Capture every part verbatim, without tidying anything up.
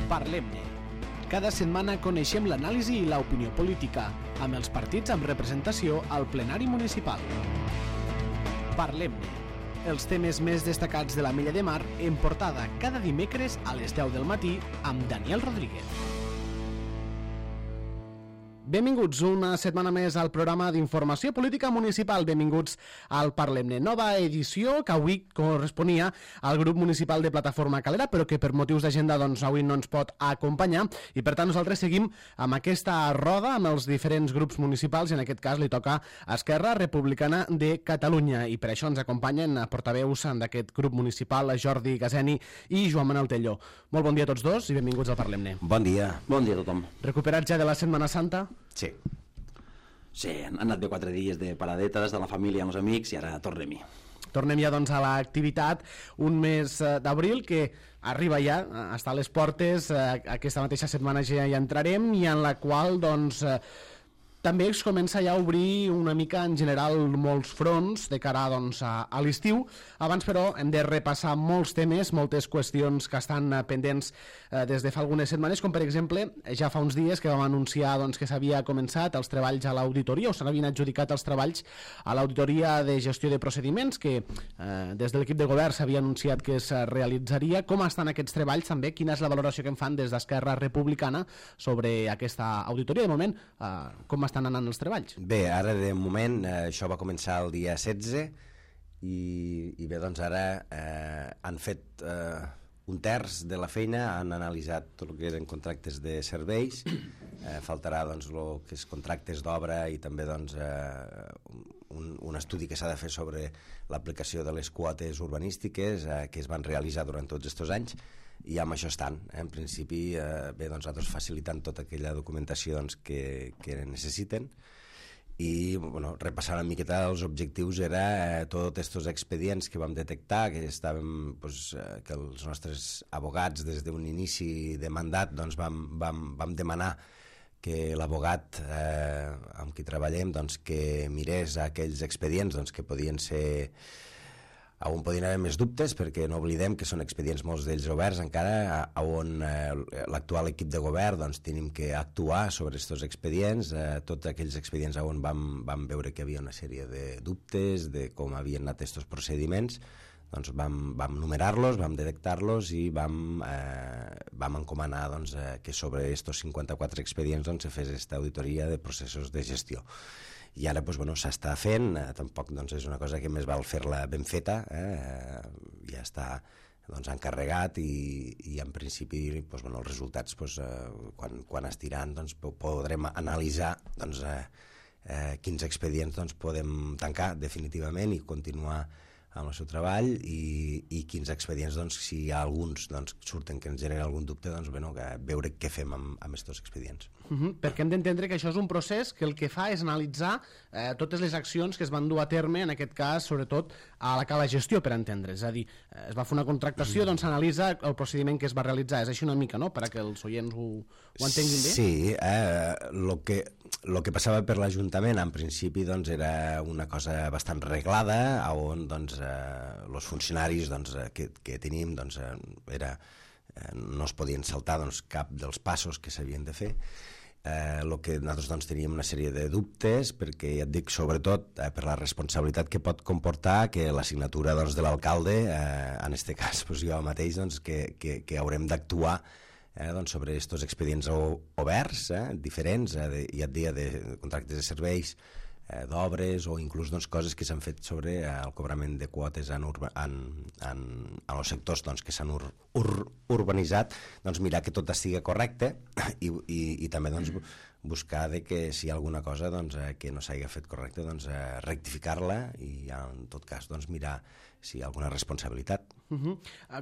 Parlem-ne. Cada setmana coneixem l'anàlisi i l'opinió política, amb els partits amb representació al plenari municipal. Parlem-ne. Els temes més destacats de la Mella de Mar en portada cada dimecres a les deu del matí amb Daniel Rodríguez. Benvinguts una setmana més al programa d'informació política municipal. Benvinguts al Parlem-ne. Nova edició que avui corresponia al grup municipal de Plataforma Calera, però que per motius d'agenda doncs, avui no ens pot acompanyar i per tant nosaltres seguim amb aquesta roda amb els diferents grups municipals i en aquest cas li toca a Esquerra Republicana de Catalunya i per això ens acompanyen portaveus d'aquest grup municipal, Jordi Gazeni i Joan Manuel Telló. Molt bon dia a tots dos i benvinguts al Parlem-ne. Bon dia. Bon dia a tothom. Recuperats ja de la Setmana Santa? Sí. Sí, han anat bé quatre dies de paradetes de la família amb els amics i ara tornem-hi. Tornem ja doncs a l'activitat, un mes d'abril que arriba ja, està a les portes, aquesta mateixa setmana ja hi entrarem i en la qual doncs també es comença ja a obrir una mica en general molts fronts de cara doncs, a, a l'estiu. Abans, però, hem de repassar molts temes, moltes qüestions que estan pendents eh, des de fa algunes setmanes, com per exemple, ja fa uns dies que vam anunciar doncs, que s'havia començat els treballs a l'auditoria, o s'havien adjudicat els treballs a l'auditoria de gestió de procediments, que eh, des de l'equip de govern s'havia anunciat que es realitzaria. Com estan aquests treballs també? Quina és la valoració que en fan des d'Esquerra Republicana sobre aquesta auditoria? De moment, eh, com estan estan anant els treballs? Bé, ara de moment eh, això va començar el dia setze i, i bé, doncs ara eh, han fet eh, un terç de la feina, han analitzat tot el que eren contractes de serveis, eh, faltarà doncs el que és contractes d'obra i també doncs eh, un, un estudi que s'ha de fer sobre l'aplicació de les quotes urbanístiques eh, que es van realitzar durant tots aquests anys i amb això estan. En principi, eh, bé, doncs nosaltres facilitant tota aquella documentació doncs, que, que necessiten i bueno, repassant una miqueta els objectius era eh, tots aquests expedients que vam detectar, que estàvem, doncs, eh, que els nostres abogats des d'un inici de mandat doncs, vam, vam, vam demanar que l'abogat eh, amb qui treballem doncs, que mirés aquells expedients doncs, que podien ser on podien haver més dubtes, perquè no oblidem que són expedients molts d'ells oberts encara, on eh, l'actual equip de govern doncs, tenim que actuar sobre aquests expedients, eh, tots aquells expedients on vam, vam veure que hi havia una sèrie de dubtes de com havien anat aquests procediments, doncs vam, vam numerar-los, vam detectar-los i vam, eh, vam encomanar doncs, eh, que sobre aquests cinquanta-quatre expedients doncs, se fes aquesta auditoria de processos de gestió. I ara doncs, bueno, s'està fent, eh, tampoc doncs, és una cosa que més val fer-la ben feta, eh, ja està doncs, encarregat i, i en principi doncs, bueno, els resultats doncs, eh, quan, quan estiran doncs, podrem analitzar doncs, eh, eh, quins expedients doncs, podem tancar definitivament i continuar amb el seu treball i, i quins expedients, doncs, si hi ha alguns doncs, surten que ens generen algun dubte, doncs, bueno, que veure què fem amb, amb aquests expedients. Uh-huh, perquè hem d'entendre que això és un procés que el que fa és analitzar eh, totes les accions que es van dur a terme, en aquest cas, sobretot, a la cala gestió, per entendre. És a dir, eh, es va fer una contractació, mm. doncs s'analitza el procediment que es va realitzar. És així una mica, no?, per a que els oients ho, ho entenguin bé? Sí, eh, lo que, lo que passava per l'Ajuntament, en principi, doncs, era una cosa bastant reglada, on, doncs, eh, els funcionaris doncs, que, que tenim, doncs, eh, era, eh, no es podien saltar doncs, cap dels passos que s'havien de fer. Eh, el que nosaltres doncs, teníem una sèrie de dubtes perquè ja et dic sobretot eh, per la responsabilitat que pot comportar que la signatura doncs, de l'alcalde eh, en aquest cas doncs, jo mateix doncs, que, que, que haurem d'actuar eh, doncs, sobre aquests expedients oberts eh, diferents, eh, de, ja et dia de contractes de serveis, eh, d'obres o inclús doncs, coses que s'han fet sobre eh, el cobrament de quotes en, urba, en, en, en els sectors doncs, que s'han ur, ur, urbanitzat, doncs mirar que tot estigui correcte i, i, i també doncs, buscar de que si hi ha alguna cosa doncs, eh, que no s'hagi fet correcte, doncs, eh, rectificar-la i en tot cas doncs, mirar si hi ha alguna responsabilitat. Uh-huh.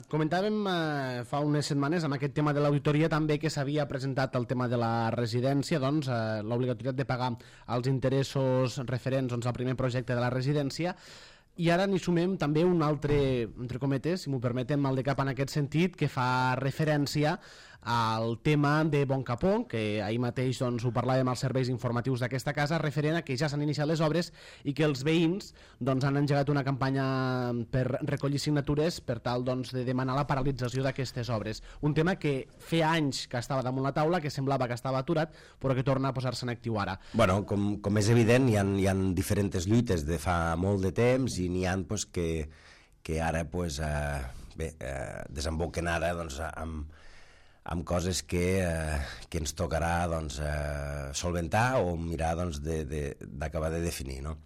Comentàvem eh, fa unes setmanes amb aquest tema de l'auditoria també que s'havia presentat el tema de la residència, doncs eh, l'obligatorietat de pagar els interessos referents doncs, al primer projecte de la residència. I ara n'hi sumem també un altre, entre cometes, si m'ho permeten, mal de cap en aquest sentit, que fa referència al tema de Bon Capó, que ahir mateix doncs, ho parlàvem als serveis informatius d'aquesta casa, referent a que ja s'han iniciat les obres i que els veïns doncs, han engegat una campanya per recollir signatures per tal doncs, de demanar la paralització d'aquestes obres. Un tema que feia anys que estava damunt la taula, que semblava que estava aturat, però que torna a posar-se en actiu ara. Bueno, com, com és evident, hi ha, hi ha diferents lluites de fa molt de temps i n'hi ha pues, que, que ara pues, eh, bé, eh, desemboquen ara doncs, amb, amb coses que, eh, que ens tocarà doncs, eh, solventar o mirar doncs, d'acabar de, de, de definir, no?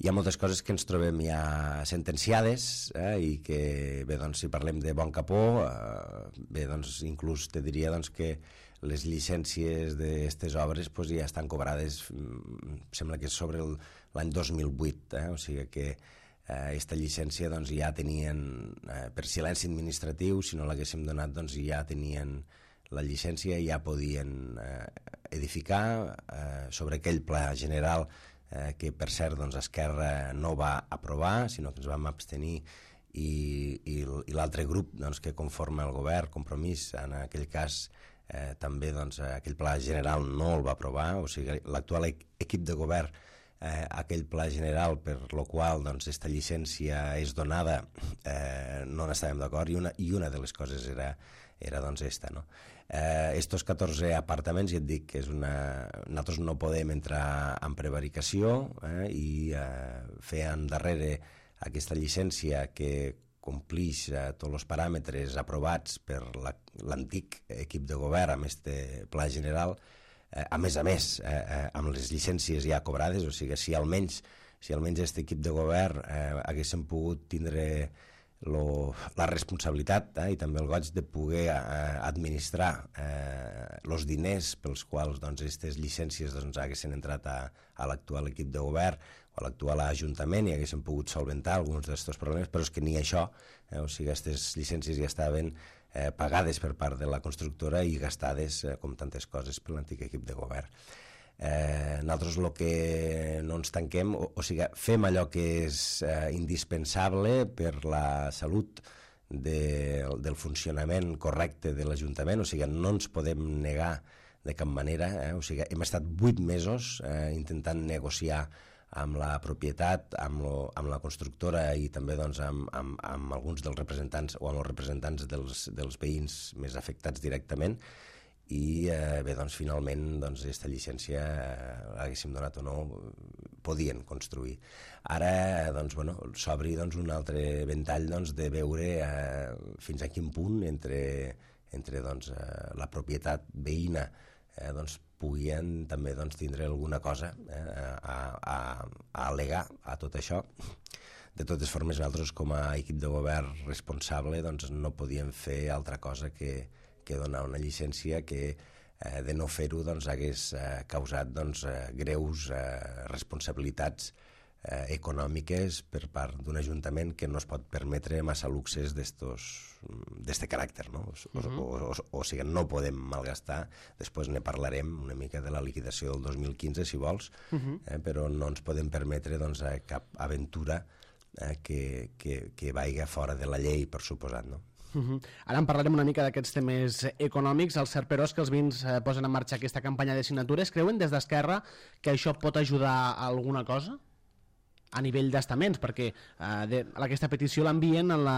Hi ha moltes coses que ens trobem ja sentenciades eh, i que, bé, doncs, si parlem de Bon Capó, eh, bé, doncs, inclús te diria doncs, que les llicències d'aquestes obres pues, ja estan cobrades, sembla que és sobre l'any dos mil vuit, eh, o sigui que aquesta eh, llicència doncs, ja tenien, eh, per silenci administratiu, si no l'haguéssim donat, doncs, ja tenien la llicència i ja podien eh, edificar eh, sobre aquell pla general eh, que per cert doncs, Esquerra no va aprovar, sinó que ens vam abstenir i, i, i l'altre grup doncs, que conforma el govern, Compromís, en aquell cas eh, també doncs, aquell pla general no el va aprovar, o sigui l'actual equip de govern eh, aquell pla general per lo qual doncs, esta llicència és donada eh, no n'estàvem d'acord i, una, i una de les coses era, era doncs esta, no? Eh, estos catorze apartaments, ja et dic que és una... nosaltres no podem entrar en prevaricació eh, i eh, fer endarrere aquesta llicència que complix eh, tots els paràmetres aprovats per l'antic equip de govern amb este pla general, eh, a més a més, eh, eh, amb les llicències ja cobrades, o sigui, si almenys si almenys aquest equip de govern eh, haguéssim pogut tindre Lo, la responsabilitat eh, i també el goig de poder eh, administrar els eh, diners pels quals aquestes doncs, llicències doncs, haguessin entrat a, a l'actual equip de govern o a l'actual ajuntament i haguessin pogut solventar alguns d'aquests problemes, però és que ni això, eh, o sigui, aquestes llicències ja estaven eh, pagades per part de la constructora i gastades, eh, com tantes coses, per l'antic equip de govern. Eh, nosaltres el que no ens tanquem, o, o sigui, fem allò que és eh, indispensable per la salut de, del funcionament correcte de l'Ajuntament, o sigui, no ens podem negar de cap manera, eh? O sigui, hem estat vuit mesos eh, intentant negociar amb la propietat, amb, lo, amb la constructora i també doncs, amb, amb, amb alguns dels representants o amb els representants dels, dels veïns més afectats directament, i eh, bé, doncs finalment doncs, aquesta llicència eh, l'haguéssim donat o no, podien construir. Ara doncs, bueno, s'obri doncs, un altre ventall doncs, de veure eh, fins a quin punt entre, entre doncs, eh, la propietat veïna eh, doncs, puguin també doncs, tindre alguna cosa eh, a, a, a al·legar a tot això. De totes formes, nosaltres com a equip de govern responsable doncs, no podíem fer altra cosa que que donar una llicència que eh, de no fer-ho doncs, hagués eh, causat doncs, eh, greus eh, responsabilitats eh, econòmiques per part d'un ajuntament que no es pot permetre massa luxes d'este caràcter, no? O, uh-huh. o, o, o, o sigui, no podem malgastar, després ne parlarem una mica de la liquidació del dos mil quinze si vols, uh-huh. eh, però no ens podem permetre doncs, cap aventura eh, que, que, que vaiga fora de la llei, per suposat, no? Uh-huh. Ara en parlarem una mica d'aquests temes econòmics. El cert, però, és que els veïns eh, posen en marxa aquesta campanya de signatures. Creuen des d'Esquerra que això pot ajudar a alguna cosa? A nivell d'estaments, perquè eh, de, aquesta petició l'envien al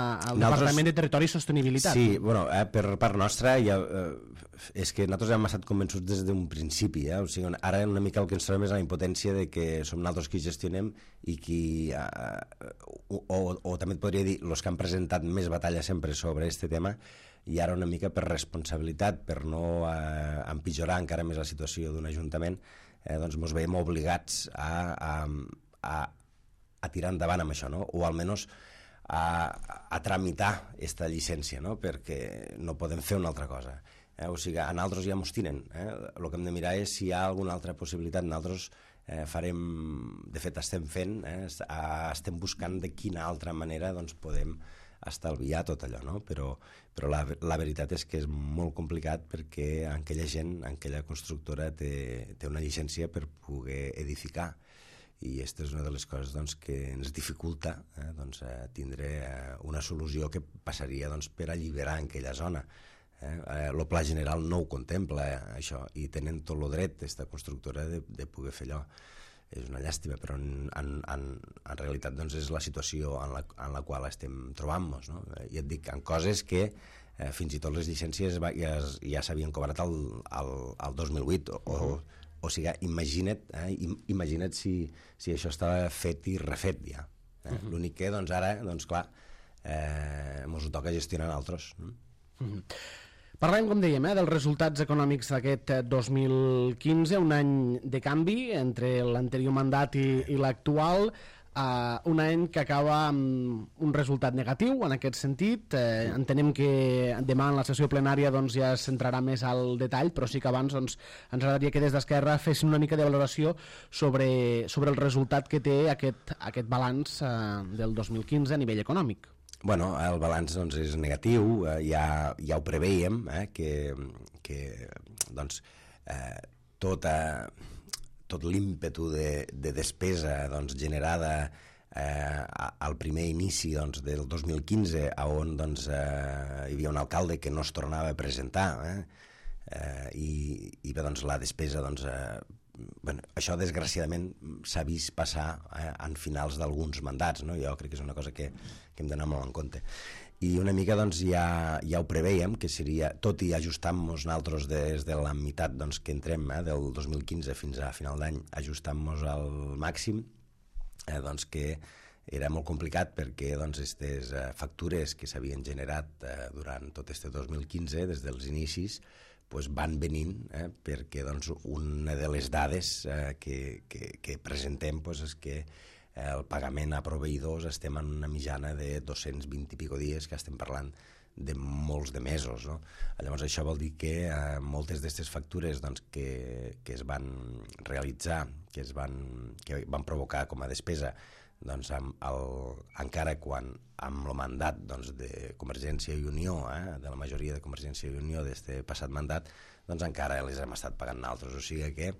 Departament de Territori i Sostenibilitat. Sí, bueno, eh, per part nostra ja, eh, és que nosaltres hem estat convençuts des d'un principi, eh? O sigui, ara una mica el que ens trobem és la impotència de que som nosaltres qui gestionem i qui, eh, o, o, o també et podria dir, els que han presentat més batalla sempre sobre aquest tema, i ara una mica per responsabilitat, per no eh, empitjorar encara més la situació d'un ajuntament, eh, doncs ens veiem obligats a, a, a a tirar endavant amb això, no? O almenys a, a tramitar aquesta llicència, no? Perquè no podem fer una altra cosa. Eh? O sigui, a nosaltres ja mos tiren. Eh? El que hem de mirar és si hi ha alguna altra possibilitat. Nosaltres eh, farem, de fet estem fent, eh? estem buscant de quina altra manera doncs, podem estalviar tot allò, no? Però, però la, la veritat és que és molt complicat perquè aquella gent, aquella constructora té, té una llicència per poder edificar. I aquesta és una de les coses doncs, que ens dificulta eh, doncs, eh, tindre eh, una solució que passaria doncs, per alliberar aquella zona. Eh, el pla general no ho contempla, eh, això, i tenen tot el dret, aquesta constructora, de, de poder fer allò. És una llàstima, però en, en, en, en realitat doncs, és la situació en la, en la qual estem trobant-nos, no? I et dic, en coses que eh, fins i tot les llicències va, ja, ja s'havien cobrat el, el, el dos mil vuit, o, o, o sigui, imagina't, eh, imagina't si, si això estava fet i refet ja. Eh? Uh-huh. L'únic que, doncs, ara, doncs, clar, eh, mos ho toca gestionar altres. No? Uh-huh. Parlem, com dèiem, eh, dels resultats econòmics d'aquest dos mil quinze, un any de canvi entre l'anterior mandat i, i l'actual, eh, un any que acaba amb un resultat negatiu en aquest sentit. Eh, entenem que demà en la sessió plenària doncs, ja s'entrarà més al detall, però sí que abans doncs, ens agradaria que des d'Esquerra fessin una mica de valoració sobre, sobre el resultat que té aquest, aquest balanç eh, del dos mil quinze a nivell econòmic. Bueno, el balanç doncs, és negatiu, eh, ja, ja ho preveiem, eh, que, que doncs, eh, tota, tot l'ímpetu de, de despesa doncs, generada eh, al primer inici doncs, del dos mil quinze, on doncs, eh, hi havia un alcalde que no es tornava a presentar, eh, eh, i, i bé, doncs, la despesa... Doncs, eh, Bueno, això desgraciadament s'ha vist passar eh, en finals d'alguns mandats, no? Jo crec que és una cosa que, que hem d'anar molt en compte, i una mica doncs, ja, ja ho preveiem que seria, tot i ajustant-nos nosaltres des de la meitat doncs, que entrem eh, del dos mil quinze fins a final d'any, ajustant-nos al màxim, eh, doncs que era molt complicat perquè doncs, aquestes eh, factures que s'havien generat eh, durant tot este dos mil quinze, des dels inicis, pues van venint, eh, perquè doncs, una de les dades eh, que, que, que presentem pues, és que eh, el pagament a proveïdors estem en una mitjana de dos-cents vint i pico dies, que estem parlant de molts de mesos. No? Llavors això vol dir que eh, moltes d'aquestes factures doncs, que, que es van realitzar, que, es van, que van provocar com a despesa, doncs, amb el, encara quan amb el mandat doncs, de Convergència i Unió, eh, de la majoria de Convergència i Unió d'aquest passat mandat, doncs encara les hem estat pagant nosaltres. O sigui que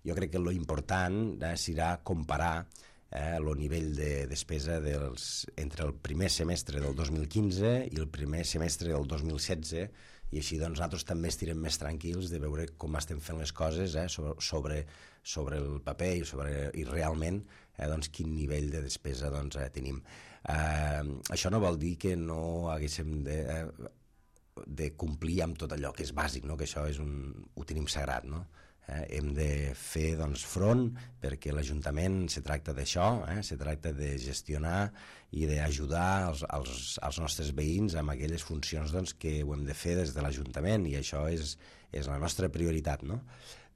jo crec que lo important eh, serà comparar eh, el nivell de despesa dels, entre el primer semestre del dos mil quinze i el primer semestre del dos mil setze, i així doncs, nosaltres també estirem més tranquils de veure com estem fent les coses eh, sobre, sobre, sobre el paper i, sobre, i realment eh, doncs, quin nivell de despesa doncs, eh, tenim. Eh, això no vol dir que no haguéssim de, eh, de complir amb tot allò que és bàsic, no? Que això és un, ho tenim sagrat, no? Eh, hem de fer doncs, front, perquè l'Ajuntament se tracta d'això, eh, se tracta de gestionar i d'ajudar els, els, els nostres veïns amb aquelles funcions doncs, que ho hem de fer des de l'Ajuntament, i això és, és la nostra prioritat, no?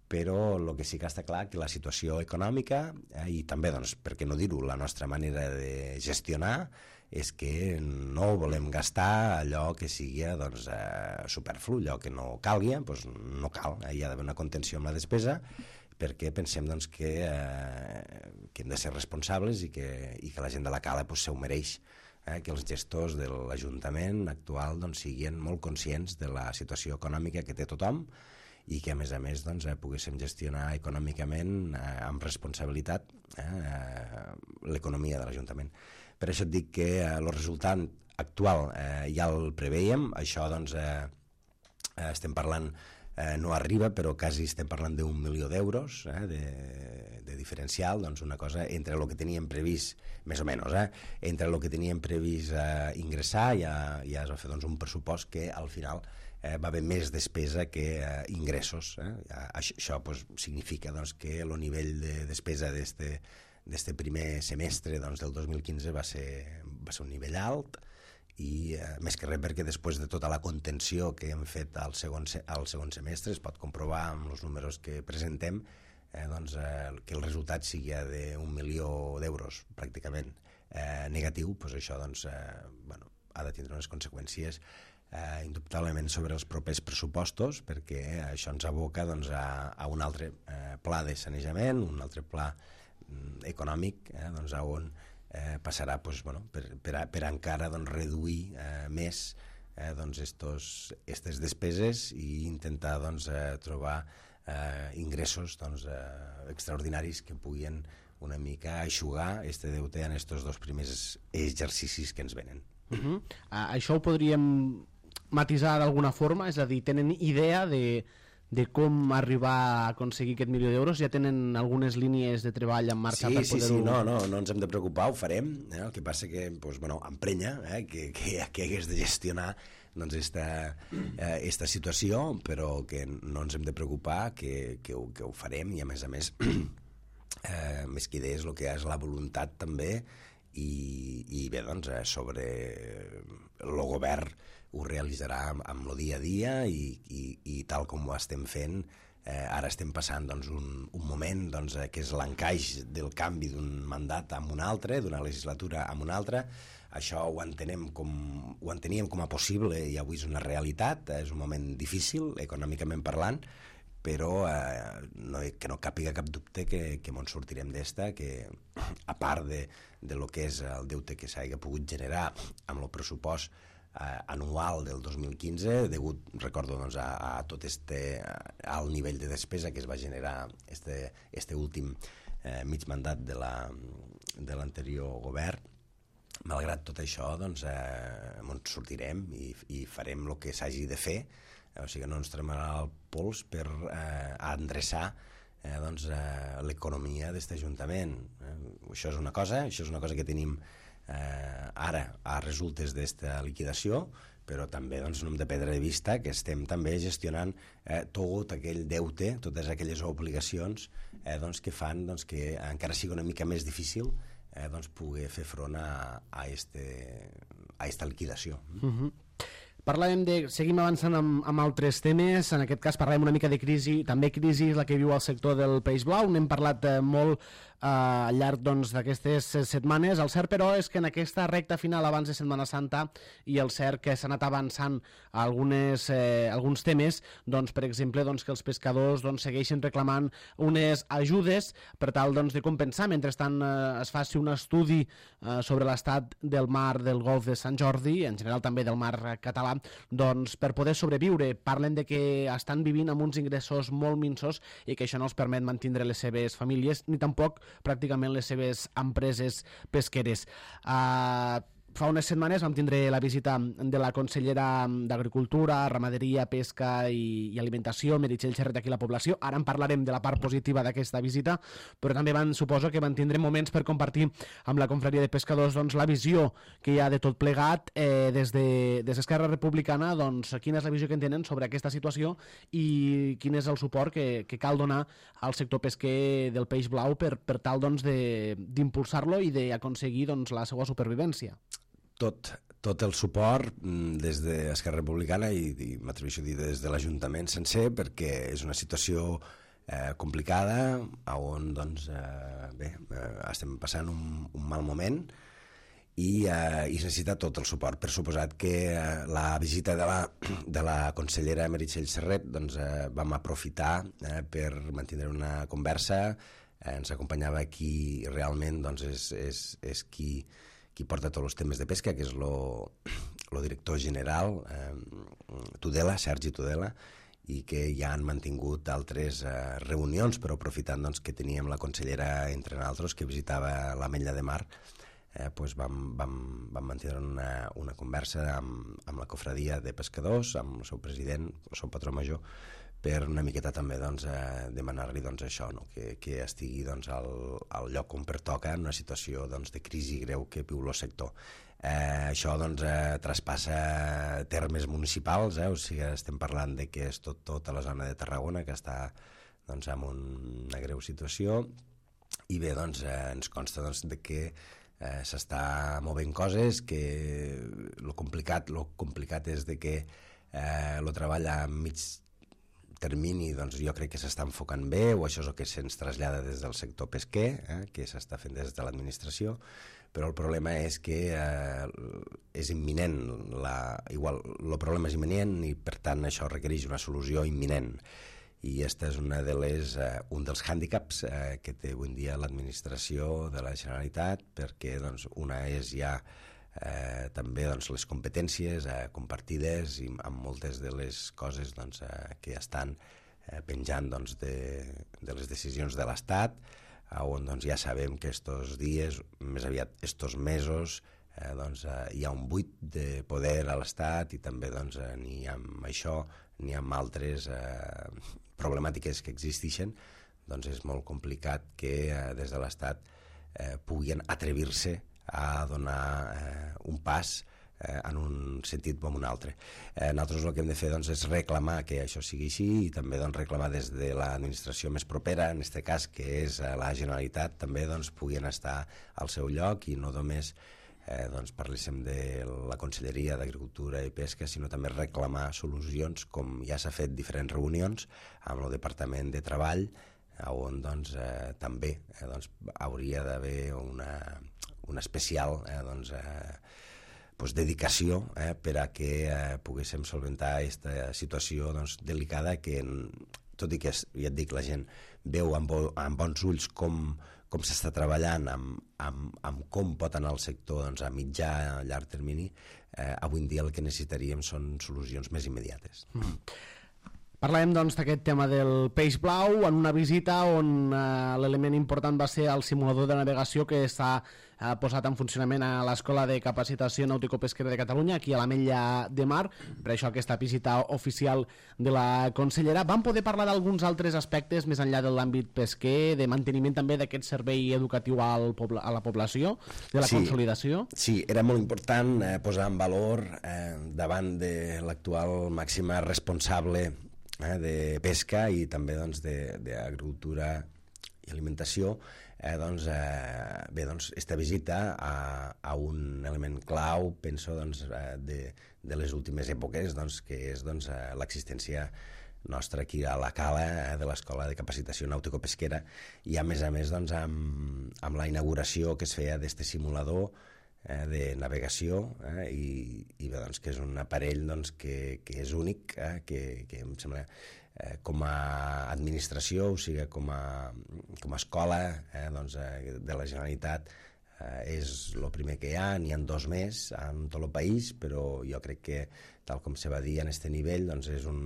Però el que sí que està clar que la situació econòmica eh, i també, doncs, per què no dir-ho, la nostra manera de gestionar és que no volem gastar allò que sigui doncs, eh, superflu, allò que no calgui, doncs no cal, eh, hi ha d'haver una contenció amb la despesa, perquè pensem doncs, que, eh, que hem de ser responsables i que, i que la gent de la cala doncs, se ho mereix, eh, que els gestors de l'Ajuntament actual doncs, siguin molt conscients de la situació econòmica que té tothom, i que a més a més doncs, eh, poguéssim gestionar econòmicament eh, amb responsabilitat eh, l'economia de l'Ajuntament. Per això et dic que eh, el resultat actual eh, ja el preveiem, això doncs, eh, estem parlant, eh, no arriba, però quasi estem parlant d'un milió d'euros eh, de, de diferencial, doncs una cosa entre el que teníem previst, més o menys, eh, entre el que teníem previst eh, ingressar, ja, ja es va fer doncs, un pressupost que al final Eh, va haver més despesa que eh, ingressos. Eh? Això, això pues, significa doncs, que el nivell de despesa d'este primer semestre doncs, del dos mil quinze va ser, va ser un nivell alt, i eh, més que res perquè després de tota la contenció que hem fet al segon, al segon semestre es pot comprovar amb els números que presentem eh, doncs, eh, que el resultat sigui d'un milió d'euros pràcticament eh, negatiu, doncs això doncs, eh, bueno, ha de tindre unes conseqüències Eh, indubtablement sobre els propers pressupostos, perquè això ens aboca doncs, a, a un altre eh, pla de sanejament, un altre pla mm, econòmic, eh, doncs, on eh, passarà doncs, bueno, per, per, a, per encara doncs, reduir eh, més eh, doncs, estos, estes despeses i intentar doncs, eh, trobar eh, ingressos doncs, eh, extraordinaris que puguin una mica aixugar este deute en estos dos primers exercicis que ens venen. Uh-huh. Uh, això ho podríem matisar d'alguna forma? És a dir, tenen idea de, de com arribar a aconseguir aquest milió d'euros? Ja tenen algunes línies de treball en marxa sí, per poder-ho... Sí, sí, no, no, no ens hem de preocupar, ho farem. Eh? El que passa que, doncs, bueno, emprenya eh? que, que, que hagués de gestionar doncs esta, eh, esta situació, però que no ens hem de preocupar, que, que, ho, que ho farem, i a més a més eh, més que idees el que és la voluntat també, i, i bé, doncs eh, sobre el govern ho realitzarà amb, amb el dia a dia, i, i, i tal com ho estem fent. Eh, ara estem passant doncs, un, un moment doncs, eh, que és l'encaix del canvi d'un mandat amb un altre, d'una legislatura amb una altra. Això ho entenem com, ho enteníem com a possible, i avui és una realitat. És un moment difícil, econòmicament parlant, però eh, no, que no càpiga cap dubte que, que ens sortirem d'esta, que a part de, de lo que és el deute que s'hagi pogut generar amb el pressupost eh, anual del dos mil quinze, degut, recordo, doncs, a, a tot este alt nivell de despesa que es va generar este, este últim eh, mig mandat de la, de l'anterior govern. Malgrat tot això, doncs, eh, ens sortirem i, i farem el que s'hagi de fer, eh, o sigui, no ens tremarà el pols per eh, endreçar eh, doncs, eh, l'economia d'aquest ajuntament. Eh, això és una cosa, això és una cosa que tenim eh, ara a resultes d'esta liquidació, però també doncs, no hem de perdre de vista que estem també gestionant eh, tot aquell deute, totes aquelles obligacions eh, doncs, que fan doncs, que encara sigui una mica més difícil eh, doncs, poder fer front a, a, este, a esta liquidació. Uh-huh. Parlàvem de... Seguim avançant amb, amb altres temes. En aquest cas parlàvem una mica de crisi, també crisi la que viu el sector del peix blau. N'hem parlat eh, molt eh, al llarg doncs, d'aquestes setmanes. El cert, però, és que en aquesta recta final abans de Setmana Santa, i el cert que s'ha anat avançant a algunes, eh, alguns temes, doncs, per exemple, doncs, que els pescadors doncs, segueixen reclamant unes ajudes per tal doncs, de compensar. Mentrestant eh, es faci un estudi eh, sobre l'estat del mar del Golf de Sant Jordi, en general també del mar català, doncs, per poder sobreviure. Parlen de que estan vivint amb uns ingressos molt minsos i que això no els permet mantenir les seves famílies ni tampoc pràcticament les seves empreses pesqueres. Uh, Fa unes setmanes vam tindre la visita de la consellera d'Agricultura, Ramaderia, Pesca i, i Alimentació, Meritxell Xerret, aquí a la població. Ara en parlarem de la part positiva d'aquesta visita, però també van, suposo que van tindre moments per compartir amb la confraria de pescadors doncs, la visió que hi ha de tot plegat eh, des de des d'Esquerra Republicana, doncs, quina és la visió que en tenen sobre aquesta situació i quin és el suport que, que cal donar al sector pesquer del peix blau per, per tal doncs, d'impulsar-lo i d'aconseguir doncs, la seva supervivència. Tot, tot el suport des d'Esquerra Republicana i, i m'atreveixo a dir des de l'Ajuntament sencer, perquè és una situació eh, complicada on doncs, eh, bé, eh, estem passant un, un mal moment i, eh, i necessita tot el suport. Per suposat que eh, la visita de la, de la consellera Meritxell Xerret doncs, eh, vam aprofitar eh, per mantenir una conversa. Eh, ens acompanyava qui realment doncs, és, és, és qui qui porta tots els temes de pesca, que és el director general, eh, Tudela, Sergi Tudela, i que ja han mantingut altres eh, reunions, però aprofitant doncs, que teníem la consellera entre nosaltres, que visitava l'Ametlla de Mar, eh, doncs vam, vam, vam mantenir una, una conversa amb, amb la cofradia de pescadors, amb el seu president, el seu patró major, per una miqueta també doncs, eh, demanar-li doncs, això, no? que, que estigui doncs, al, al lloc on pertoca en una situació doncs, de crisi greu que viu el sector. Eh, això doncs, eh, traspassa termes municipals, eh? O sigui, estem parlant de que és tot, tota la zona de Tarragona que està doncs, en un, una greu situació, i bé, doncs, eh, ens consta doncs, de que eh, s'està movent coses, que el complicat, lo complicat és de que eh, el treball a mig termini doncs, jo crec que s'està enfocant bé, o això és el que se'ns trasllada des del sector pesquer, eh, que s'està fent des de l'administració, però el problema és que eh, és imminent, la, igual, el problema és imminent i per tant això requereix una solució imminent, i aquesta és una de les, eh, un dels hàndicaps eh, que té avui en dia l'administració de la Generalitat, perquè doncs, una és ja Eh, també doncs, les competències eh, compartides i amb moltes de les coses doncs, eh, que estan eh, penjant doncs, de, de les decisions de l'Estat, on doncs, ja sabem que estos dies, més aviat estos mesos, eh, doncs, eh, hi ha un buit de poder a l'Estat i també doncs, eh, ni amb això ni amb altres eh, problemàtiques que existeixen, doncs és molt complicat que eh, des de l'Estat eh, puguin atrevir-se a donar eh, un pas eh, en un sentit o en un altre. Eh, nosaltres el que hem de fer doncs, és reclamar que això sigui així i també doncs, reclamar des de l'administració més propera, en aquest cas que és la Generalitat, també doncs, puguin estar al seu lloc i no només eh, doncs, parléssim de la Conselleria d'Agricultura i Pesca, sinó també reclamar solucions, com ja s'ha fet diferents reunions amb el Departament de Treball, on doncs, eh, també eh, doncs, hauria d'haver una, una especial eh, doncs, eh, doncs, dedicació eh, per a que eh, poguéssim solventar aquesta situació doncs, delicada que, tot i que ja et dic, la gent veu amb, bo, amb bons ulls com, com s'està treballant, amb, amb, amb com pot anar el sector doncs, a mitjà i a llarg termini, eh, avui en dia el que necessitaríem són solucions més immediates. Mm. Parlàvem doncs d'aquest tema del peix blau en una visita on eh, l'element important va ser el simulador de navegació que s'ha eh, posat en funcionament a l'Escola de Capacitació Nàutico-Pesquera de Catalunya, aquí a l'Ametlla de Mar, per això aquesta visita oficial de la consellera. Vam poder parlar d'alguns altres aspectes més enllà de l'àmbit pesquer, de manteniment també d'aquest servei educatiu al pobla, a la població, de la sí, consolidació? Sí, era molt important eh, posar en valor eh, davant de l'actual màxima responsable Eh, de pesca i també doncs, d'agricultura i alimentació, eh, doncs, eh, bé, doncs, esta visita a, a un element clau, penso, doncs, eh, de, de les últimes èpoques, doncs, que és doncs, eh, l'existència nostra aquí a la Cala eh, de l'Escola de Capacitació Nàutico-Pesquera i a més a més doncs, amb, amb la inauguració que es feia d'este simulador Eh, de navegació eh, i, i bé, doncs, que és un aparell doncs, que, que és únic, eh, que, que em sembla eh, com a administració, o sigui, com a, com a escola eh, doncs, eh, de la Generalitat eh, és el primer que hi ha, n'hi ha dos més en tot el país, però jo crec que tal com se va dir en aquest nivell doncs, és, un,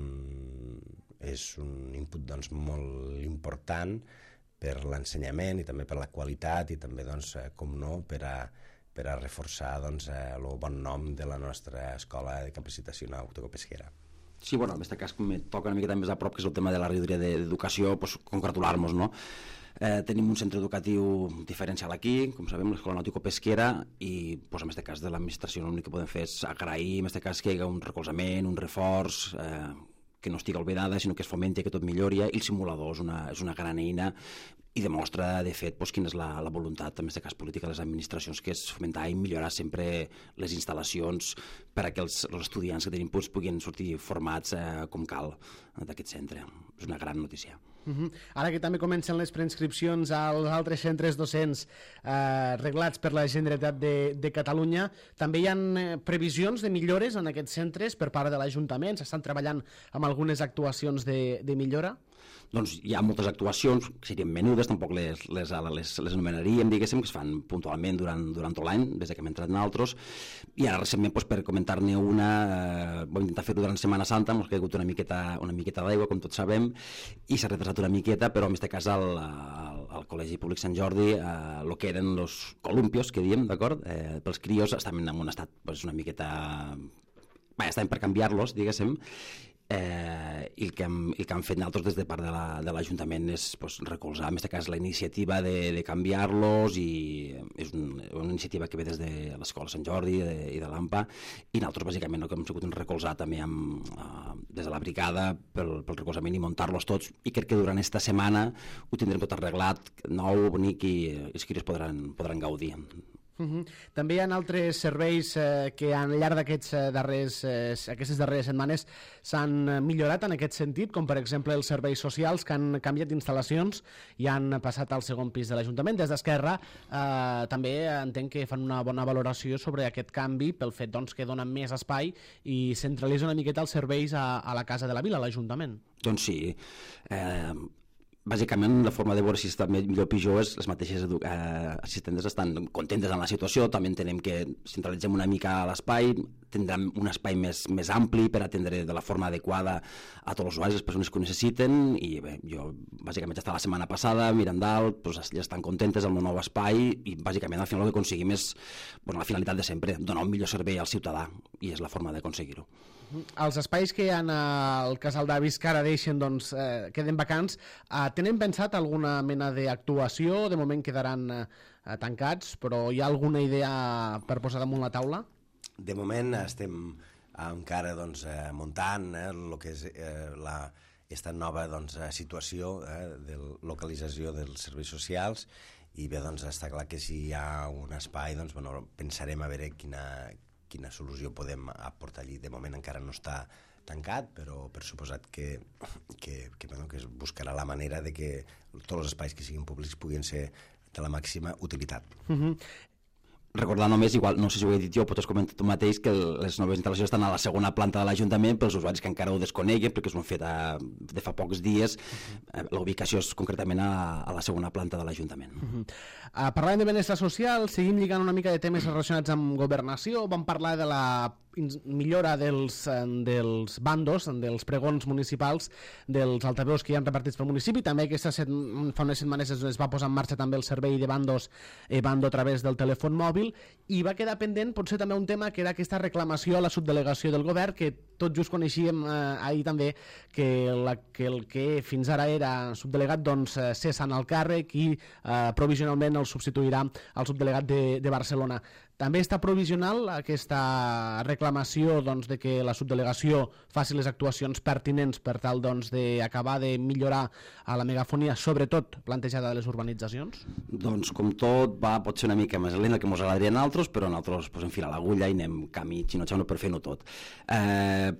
és un input doncs, molt important per l'ensenyament i també per la qualitat i també, doncs, eh, com no, per a per a reforçar doncs, eh, el bon nom de la nostra Escola de Capacitació Nàutico-Pesquera. Sí, bueno, en aquest cas me toca una miqueta més a prop, que és el tema de la regidoria d'Educació, pues, congratular-nos, no? Eh, tenim un centre educatiu diferencial aquí, com sabem, l'Escola Nàutico-Pesquera, i pues, en aquest cas de l'administració l'únic que podem fer és agrair, en aquest cas, que hi hagi un recolzament, un reforç, eh, que no estigui oblidada, sinó que es fomenti, que tot millori, i el simulador és una, és una gran eina i demostra, de fet, doncs, quina és la, la voluntat, en aquest cas política, de les administracions, que és fomentar i millorar sempre les instal·lacions per a que els, els estudiants que tenim doncs, puguin sortir formats eh, com cal d'aquest centre. És una gran notícia. Uh-huh. Ara que també comencen les preinscripcions als altres centres docents eh, reglats per la Generalitat de, de Catalunya, també hi ha eh, previsions de millores en aquests centres per part de l'Ajuntament? S'estan treballant amb algunes actuacions de, de millora? Doncs hi ha moltes actuacions que serien menudes, tampoc les, les, les, les anomenaríem, diguéssim, que es fan puntualment durant, durant tot l'any, des que hem entrat en altres, i ara recentment, doncs, per comentar-ne una, eh, vam intentar fer-ho durant Setmana Santa, ens ha caigut una miqueta, una miqueta d'aigua, com tots sabem, i s'ha retrasat una miqueta, però en aquest cas al, al, al Col·legi Públic Sant Jordi, el eh, que eren els columpios, que diem, d'acord? Eh, pels crios estaven en un estat pues, una miqueta... Bé, estaven per canviar-los, diguéssim, Eh, i el que, hem, el que han fet nosaltres des de part de l'Ajuntament és pues, recolzar, en aquest cas, la iniciativa de, de canviar-los, i és un, una iniciativa que ve des de l'Escola Sant Jordi de, i de l'A M P A, i nosaltres bàsicament no, que hem sigut un recolzar també amb, uh, des de la brigada pel, pel recolzament i muntar-los tots, i crec que durant aquesta setmana ho tindrem tot arreglat, nou, bonic, i els crios podran, podran gaudir. Uh-huh. També hi ha altres serveis eh, que al llarg d'aquests eh, darrers, eh, aquestes darreres setmanes s'han millorat en aquest sentit, com per exemple els serveis socials, que han canviat d'instal·lacions i han passat al segon pis de l'Ajuntament. Des d'Esquerra eh, també entenc que fan una bona valoració sobre aquest canvi pel fet doncs, que donen més espai i centralitza una miqueta els serveis a, a la Casa de la Vila, a l'Ajuntament. Doncs sí. Eh... Bàsicament, la forma de veure si està millor o pitjor és les mateixes eh, assistentes estan contentes en la situació, també entenem que centralitzem una mica l'espai, tindran un espai més, més ampli per atendre de la forma adequada a tots els usuaris, les persones que ho necessiten, i bé, jo bàsicament ja estava la setmana passada mirant dalt, doncs, ja estan contentes amb el nou espai, i bàsicament al final el que aconseguim és, bueno, la finalitat de sempre, donar un millor servei al ciutadà, i és la forma de aconseguir-ho. Els espais que hi ha al Casal d'Avis que ara deixen, doncs, eh, queden vacants, eh, tenen pensat alguna mena d'actuació? De moment quedaran eh, tancats, però hi ha alguna idea per posar damunt la taula? De moment estem encara doncs, eh, muntant eh, el que és eh, la, esta nova doncs, situació eh, de localització dels serveis socials, i bé, doncs, està clar que si hi ha un espai, doncs, bueno, pensarem a veure quina, quina solució podem aportar allí. De moment encara no està tancat, però per suposat que, que, que, bueno, que es buscarà la manera de que tots els espais que siguin públics puguin ser de la màxima utilitat. Uh-huh. Recordar només, igual, no sé si ho he dit jo, potser has comentat tu mateix, que les noves instal·lacions estan a la segona planta de l'Ajuntament, pels usuaris que encara ho desconeguen, perquè s'ho han fet a, de fa pocs dies. Uh-huh. La ubicació és concretament a, a la segona planta de l'Ajuntament. Uh-huh. uh, parlant de benestar social, seguim lligant una mica de temes relacionats amb governació. Vam parlar de la millora dels, dels bandos, dels pregons municipals, dels altaveus que hi ha repartits pel municipi. També aquesta set, fa unes setmanes es va posar en marxa també el servei de bandos eh, bando a través del telèfon mòbil, i va quedar pendent potser també un tema que era aquesta reclamació a la subdelegació del govern, que tot just coneixíem eh, ahir també que, la, que el que fins ara era subdelegat doncs eh, cessa en el càrrec i eh, provisionalment el substituirà al subdelegat de, de Barcelona. També està provisional aquesta reclamació doncs, de que la subdelegació faci les actuacions pertinents per tal doncs, d'acabar de millorar a la megafonia, sobretot plantejada a les urbanitzacions? Doncs com tot va, pot ser una mica més lent que ens agradaria a nosaltres, però nosaltres pues, enfilar l'agulla i anem camí xinotxano per fer-ho tot. Eh...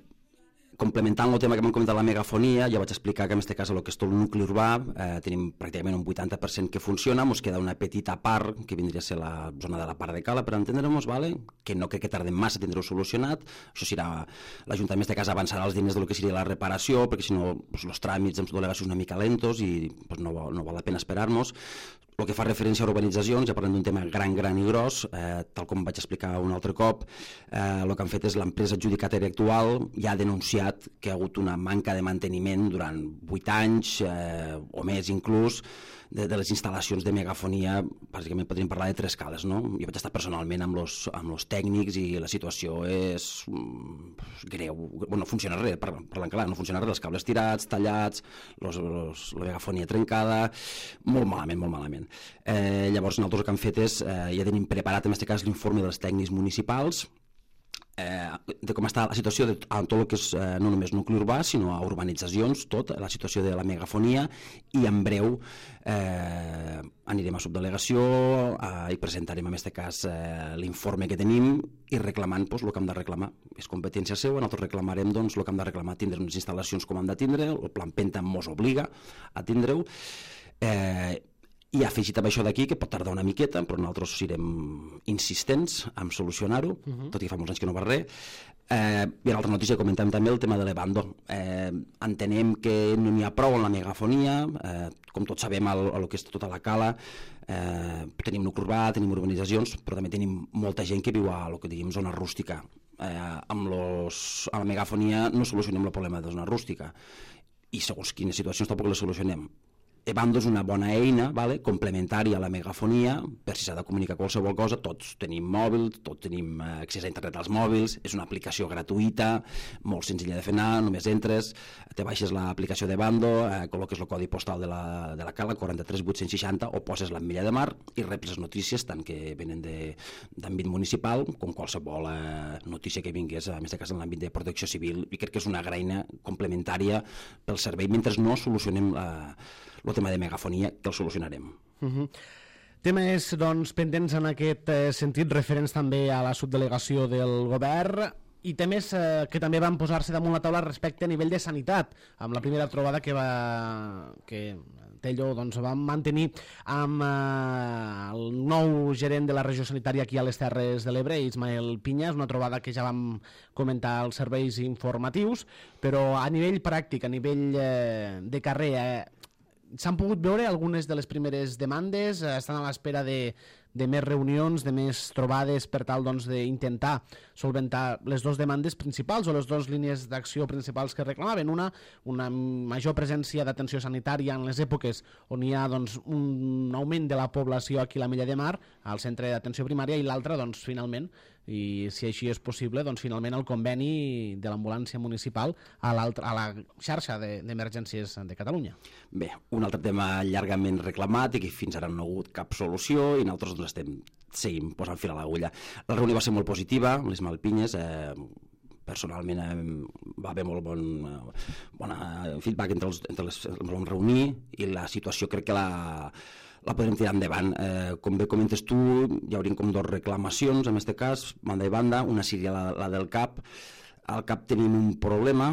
Complementant el tema que m'han comentat la megafonia, ja vaig explicar que en aquest cas el que és tot el nucli urbà eh, tenim pràcticament un vuitanta per cent que funciona, ens queda una petita part que vindria a ser la zona de la part de Cala per entendre-nos, vale? Que no crec que tardem massa a tindre-ho solucionat. Això serà, l'Ajuntament en aquest cas avançarà els diners del que seria la reparació, perquè si no pues, els tràmits amb delegacions una mica lentos i pues, no, no val la pena esperar-nos. El que fa referència a urbanitzacions, ja parlem d'un tema gran, gran i gros, eh, tal com vaig explicar un altre cop, eh, el que han fet és l'empresa adjudicatària actual ja ha denunciat que hi ha hagut una manca de manteniment durant vuit anys eh, o més inclús de, de les instal·lacions de megafonia. Bàsicament podríem parlar de tres cales, no? Jo vaig estar personalment amb los, amb los tècnics i la situació és mm, greu. Bueno, no funciona res, parlant clar, no funciona res, els cables tirats, tallats, los, los, la megafonia trencada, molt malament, molt malament. Eh, llavors nosaltres el que hem fet és, eh, ja tenim preparat en aquest cas l'informe dels tècnics municipals eh, de com està la situació de a tot el que és eh, no només nucli urbà sinó a urbanitzacions, tot, la situació de la megafonia, i en breu eh, anirem a subdelegació eh, i presentarem en aquest cas eh, l'informe que tenim i reclamant pues, el que hem de reclamar. És competència seva, nosaltres reclamarem doncs, el que hem de reclamar, tindre unes instal·lacions com hem de tindre, el Plan Penta mos obliga a tindre-ho, eh, i afegit amb això d'aquí, que pot tardar una miqueta, però nosaltres serem insistents en solucionar-ho, uh-huh. tot i que fa molts anys que no va res. Eh, I a l'altra notícia comentem també el tema de l'Ebando. Eh, entenem que no n'hi ha prou en la megafonia, eh, com tots sabem, el, el que és tota la Cala, eh, tenim nucli urbà, tenim urbanitzacions, però també tenim molta gent que viu a el que diguem zona rústica. Eh, amb, los, amb la megafonia no solucionem el problema de zona rústica, i segons quines situacions tampoc les solucionem. Ebando és una bona eina, vale? Complementària a la megafonia, per si s'ha de comunicar qualsevol cosa. Tots tenim mòbils, tots tenim accés a internet als mòbils, és una aplicació gratuïta, molt senzilla de fer anar, només entres, te baixes l'aplicació d'Ebando, eh, col·loques el codi postal de la, de la Cala, quaranta-tres vuit-cents seixanta, o poses l'Ametlla de Mar i reps les notícies, tant que venen d'àmbit municipal, com qualsevol eh, notícia que vingués, en aquest cas en l'àmbit de protecció civil, i crec que és una graina complementària pel servei, mentre no solucionem eh, el tema de megafonia, que el solucionarem. Uh-huh. Temes doncs, pendents en aquest eh, sentit, referents també a la subdelegació del govern, i temes eh, que també van posar-se damunt la taula respecte a nivell de sanitat, amb la primera trobada que va que Tello doncs, va mantenir amb eh, el nou gerent de la regió sanitària aquí a les Terres de l'Ebre, Ismael Piña. És una trobada que ja vam comentar als serveis informatius, però a nivell pràctic, a nivell eh, de carrer, eh, s'han pogut veure algunes de les primeres demandes, estan a l'espera de, de més reunions, de més trobades per tal doncs, d'intentar solventar les dues demandes principals o les dues línies d'acció principals que reclamaven. Una, una major presència d'atenció sanitària en les èpoques on hi ha doncs, un augment de la població aquí a l'Ametlla de Mar, al centre d'atenció primària, i l'altra, doncs, finalment, i si així és possible, doncs finalment el conveni de l'ambulància municipal a, a la xarxa d'emergències de, de Catalunya. Bé, un altre tema llargament reclamat i que fins ara no ha hagut cap solució i nosaltres doncs, estem seguim posant fil a l'agulla. La reunió va ser molt positiva, les Malpinyes, eh, personalment eh, va haver molt bon eh, bona feedback entre els, entre les, ens vam reunir i la situació crec que la la podrem tirar endavant. Eh, com bé comentes tu, hi haurien com dos reclamacions, en aquest cas, banda i banda, una seria la, la del C A P. Al C A P tenim un problema,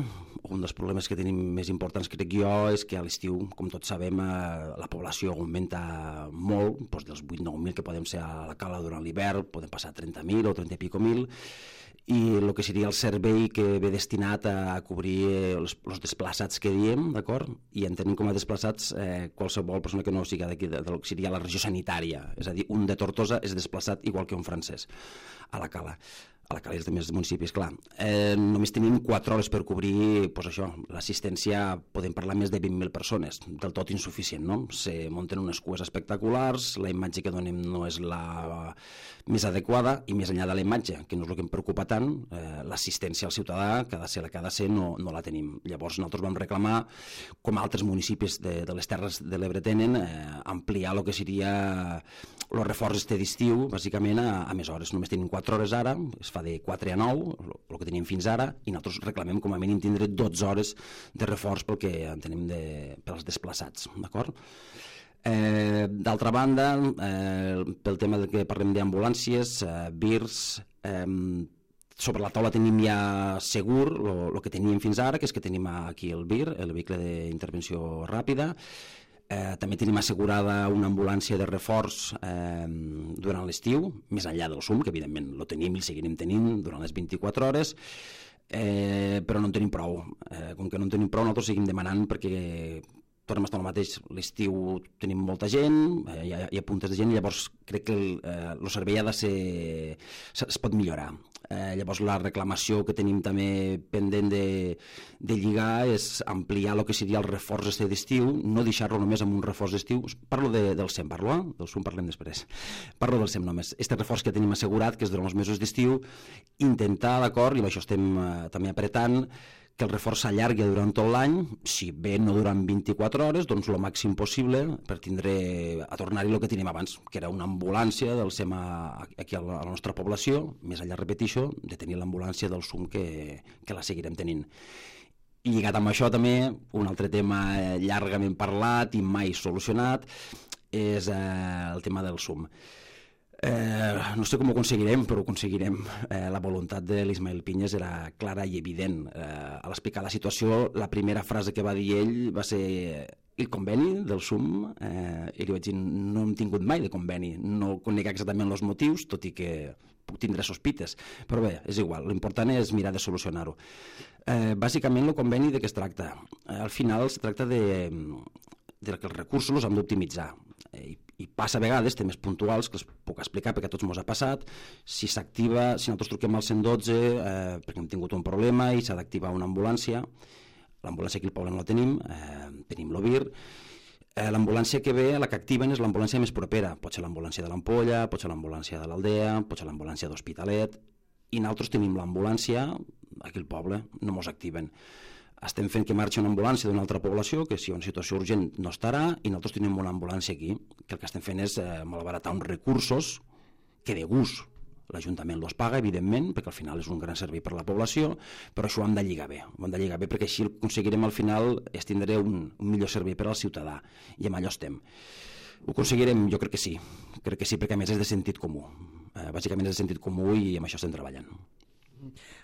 un dels problemes que tenim més importants, crec jo, és que a l'estiu, com tots sabem, eh, la població augmenta molt, doncs dels vuit nou mil que podem ser a la cala durant l'hivern, podem passar a trenta mil o trenta i pico mil, i el que seria el servei que ve destinat a cobrir els, els desplaçats que diem, d'acord? I entenem com a desplaçats eh, qualsevol persona que no sigui d'aquí, del que seria la regió sanitària, és a dir, un de Tortosa és desplaçat igual que un francès a la cala. A la Cala i els altres municipis, clar. Eh, només tenim quatre hores per cobrir pues això, l'assistència, podem parlar més de vint mil persones, del tot insuficient, no? Se munten unes cues espectaculars, la imatge que donem no és la més adequada i més enllà de la imatge, que no és el que em preocupa tant, eh, l'assistència al ciutadà, que ha de ser la que ha de ser, no, no la tenim. Llavors nosaltres vam reclamar, com altres municipis de, de les Terres de l'Ebre tenen, eh, ampliar el que seria el reforç este d'estiu, bàsicament a, a més hores. Només tenim quatre hores ara, es fa de quatre a nou, el que tenim fins ara, i nosaltres reclamem com a mínim tindre dotze hores de reforç pel que entenem de, pels desplaçats, d'acord? Eh, D'altra banda, eh, pel tema de que parlem d'ambulàncies, eh, V I R S, eh, sobre la taula tenim ja segur el que teníem fins ara, que és que tenim aquí el V I R, el vehicle d'intervenció ràpida. Eh, també tenim assegurada una ambulància de reforç eh, durant l'estiu, més enllà del S U M, que evidentment lo tenim i el seguirem tenint durant les vint-i-quatre hores, eh, però no en tenim prou. Eh, com que no en tenim prou, nosaltres seguim demanant perquè tornem a estar el mateix, l'estiu tenim molta gent, eh, hi, ha, hi ha puntes de gent, llavors crec que el, eh, el servei ha de ser, es pot millorar. Eh, llavors la reclamació que tenim també pendent de, de lligar és ampliar el que seria el reforç este d'estiu, no deixar-lo només amb un reforç d'estiu. Parlo de, del S E M, parlo, eh? Del S U M parlem després. Parlo del S E M només. Este reforç que tenim assegurat, que és durant els mesos d'estiu, intentar, d'acord, i amb això estem eh, també apretant, que el reforç s'allargui durant tot l'any, si bé no durant vint-i-quatre hores, doncs el màxim possible per tindre, a tornar-hi el que tenim abans, que era una ambulància del S E M aquí a la nostra població, més enllà, repetixo, de tenir l'ambulància del S U M que, que la seguirem tenint. I lligat amb això també, un altre tema llargament parlat i mai solucionat, és eh, el tema del S U M. Eh, no sé com ho aconseguirem, però ho aconseguirem. Eh, la voluntat de l'Ismael Pinyes era clara i evident. Eh, a l'explicar la situació, la primera frase que va dir ell va ser el conveni del S U M, eh, i li vaig dir, no hem tingut mai de conveni, no conec exactament els motius, tot i que puc tindre sospites, però bé, és igual, l'important és mirar de solucionar-ho. Eh, bàsicament el conveni de què es tracta? Eh, al final es tracta de, de que els recursos els hem d'optimitzar, eh, i i passa a vegades temes puntuals que els puc explicar perquè a tots ens ha passat. Si s'activa, si nosaltres truquem al cent dotze eh, perquè hem tingut un problema i s'ha d'activar una ambulància, l'ambulància aquí al poble no la tenim, eh, tenim l'O V I R, eh, l'ambulància que ve, la que activen és l'ambulància més propera, pot ser l'ambulància de l'Ampolla, pot ser l'ambulància de l'Aldea, pot ser l'ambulància d'Hospitalet, i nosaltres tenim l'ambulància aquí al poble, no mos activen. Estem fent que marxi una ambulància d'una altra població, que si hi ha una situació urgent no estarà, i nosaltres tenim una ambulància aquí, que el que estem fent és eh, malbaratar uns recursos que de gust l'Ajuntament els paga, evidentment, perquè al final és un gran servei per a la població, però això ho hem de lligar bé, ho hem de lligar bé perquè així aconseguirem al final és tindre un, un millor servei per al ciutadà, i amb allò estem. Ho aconseguirem? Jo crec que sí, crec que sí, perquè a més és de sentit comú, eh, bàsicament és de sentit comú i amb això estem treballant.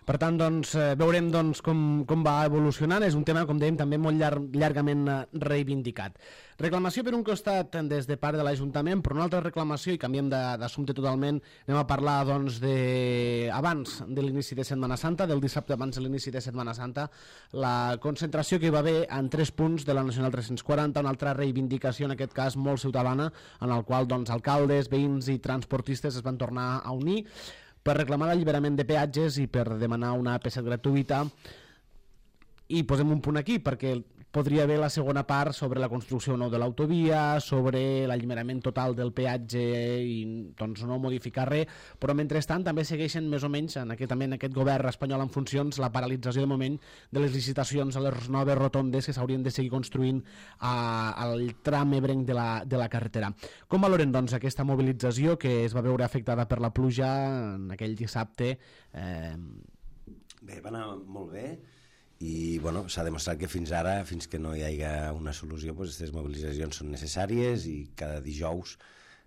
Per tant, doncs, veurem doncs, com, com va evolucionant. És un tema, com dèiem, també molt llarg, llargament reivindicat. Reclamació per un costat des de part de l'Ajuntament, però una altra reclamació, i canviem d'assumpte totalment, anem a parlar doncs, de... abans de l'inici de Setmana Santa, del dissabte abans de l'inici de Setmana Santa, la concentració que hi va haver en tres punts de la Nacional tres-cents quaranta, una altra reivindicació, en aquest cas molt ciutadana, en el qual doncs, alcaldes, veïns i transportistes es van tornar a unir per reclamar l'alliberament de peatges i per demanar una A P set gratuïta. I posem un punt aquí, perquè podria haver la segona part sobre la construcció nou de l'autovia, sobre l'alliberament total del peatge i doncs, no modificar res, però mentrestant també segueixen més o menys en aquest, també en aquest govern espanyol en funcions la paralització de moment de les licitacions a les noves rotondes que s'haurien de seguir construint a, al tram ebrenc de la, de la carretera. Com valoren doncs, aquesta mobilització que es va veure afectada per la pluja en aquell dissabte? Eh... Bé, va anar molt bé. I bueno, s'ha demostrat que fins ara, fins que no hi hagi una solució, doncs aquestes mobilitzacions són necessàries i cada dijous,